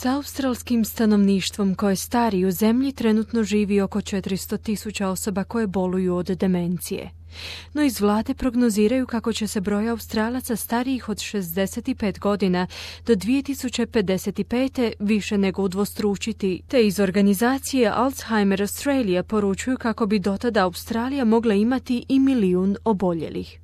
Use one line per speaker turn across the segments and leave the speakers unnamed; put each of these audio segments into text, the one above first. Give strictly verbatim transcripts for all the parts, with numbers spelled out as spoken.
S australskim stanovništvom koje stari u zemlji trenutno živi oko četiristo tisuća osoba koje boluju od demencije. No iz vlade prognoziraju kako će se broj Australaca starijih od šezdeset pet godina do dvije tisuće pedeset pet. više nego udvostručiti, te iz organizacije Alzheimer Australia poručuju kako bi dotada Australija mogla imati i milijun oboljelih.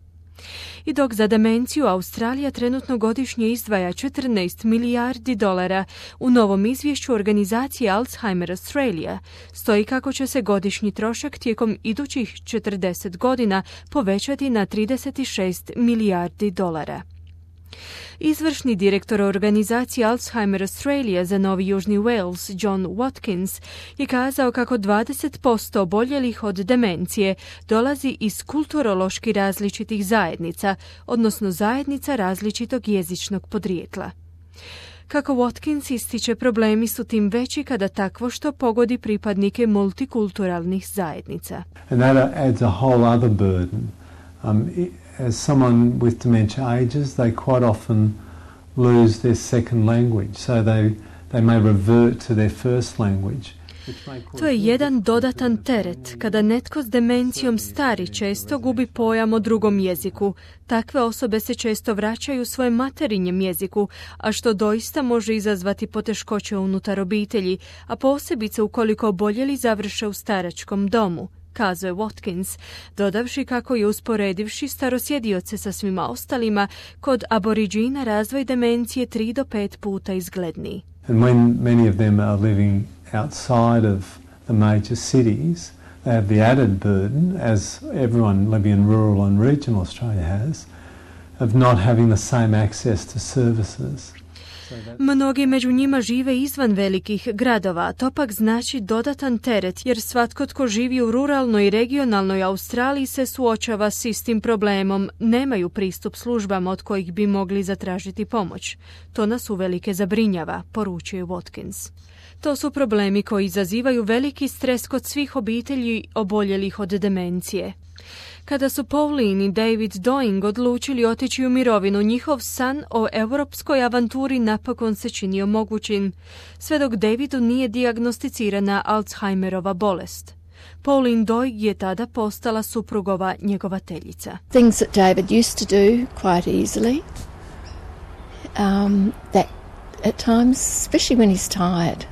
I dok za demenciju Australija trenutno godišnje izdvaja četrnaest milijardi dolara, u novom izvješću organizacije Alzheimer Australia stoji kako će se godišnji trošak tijekom idućih četrdeset godina povećati na trideset šest milijardi dolara. Izvršni direktor organizacije Alzheimer Australia za Novi Južni Wales, John Watkins, je kazao kako dvadeset posto oboljelih od demencije dolazi iz kulturološki različitih zajednica, odnosno zajednica različitog jezičnog podrijetla. Kako Watkins ističe, problemi su tim veći kada takvo što pogodi pripadnike multikulturalnih zajednica.
And that adds a whole other burden. Um, as someone with dementia ages, they quite often lose their second language, so they, they may revert to their first language.
To je jedan dodatan teret. Kada netko s demencijom stari često gubi pojam o drugom jeziku. Takve osobe se često vraćaju svojem materinjem jeziku, a što doista može izazvati poteškoće unutar obitelji, a posebice ukoliko oboljeli završe u staračkom domu, kazuje Watkins, dodavši kako je usporedivši starosjedioce sa svima ostalima, kod aboriđina razvoj demencije tri do pet puta izgledniji.
And when many of them are living outside of the major cities, they have the added burden, as everyone living in rural and regional Australia has, of not having the same access to services.
Mnogi među njima žive izvan velikih gradova, to pak znači dodatan teret, jer svatko tko živi u ruralnoj i regionalnoj Australiji se suočava s istim problemom, nemaju pristup službama od kojih bi mogli zatražiti pomoć. To nas uvelike zabrinjava, poručuje Watkins. To su problemi koji izazivaju veliki stres kod svih obitelji oboljelih od demencije. Kada su Pauline i David Doing odlučili otići u mirovinu, njihov san o europskoj avanturi napokon se činio mogućim, sve dok Davidu nije dijagnosticirana Alzheimerova bolest. Pauline Doig je tada postala suprugova njegovateljica.
Things that David used to do quite easily, um, that at times, especially when he's tired,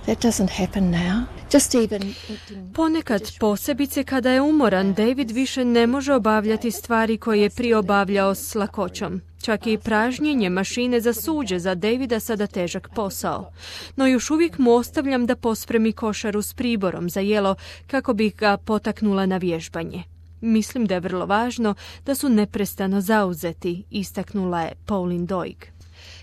that doesn't happen now.
Ponekad, posebice kada je umoran, David više ne može obavljati stvari koje je prije obavljao s lakoćom. Čak i pražnjenje mašine za suđe za Davida sada težak posao. No još uvijek mu ostavljam da pospremi košaru s priborom za jelo kako bi ga potaknula na vježbanje. Mislim da je vrlo važno da su neprestano zauzeti, istaknula je Pauline Doig.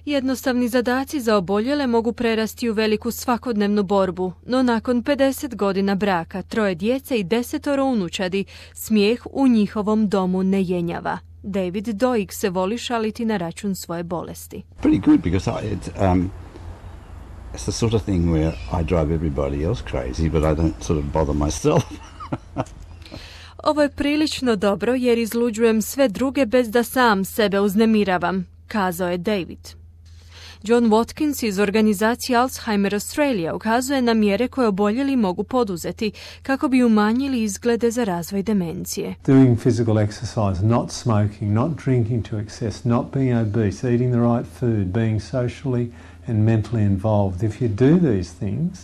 Jednostavni zadaci za oboljele mogu prerasti u veliku svakodnevnu borbu, no nakon pedeset godina braka, troje djece i desetoro unučadi, smijeh u njihovom domu ne jenjava. David Doig se voli šaliti na račun svoje bolesti.
Pretty good because I, it, um, it's the sort of thing where I drive everybody else crazy, but I don't sort of bother myself.
Ovo je prilično dobro jer izluđujem sve druge bez da sam sebe uznemiravam, kazao je David. John Watkins iz organizacije Alzheimer Australia ukazuje na mjere koje oboljeli mogu poduzeti kako bi umanjili izglede za razvoj demencije.
Doing physical exercise, not smoking, not drinking to excess, not being obese, eating the right food, being socially and mentally involved. If you do these things,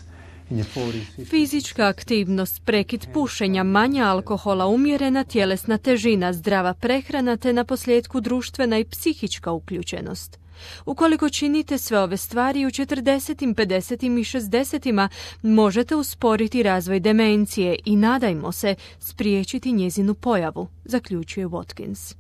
fizička aktivnost, prekid pušenja, manje alkohola, umjerena tjelesna težina, zdrava prehrana te naposljetku društvena i psihička uključenost. Ukoliko činite sve ove stvari u četrdesetim, pedesetim i šezdesetima možete usporiti razvoj demencije i, nadajmo se, spriječiti njezinu pojavu, zaključuje Watkins.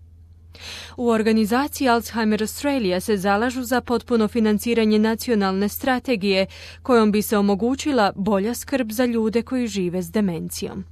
U organizaciji Alzheimer Australia se zalažu za potpuno financiranje nacionalne strategije kojom bi se omogućila bolja skrb za ljude koji žive s demencijom.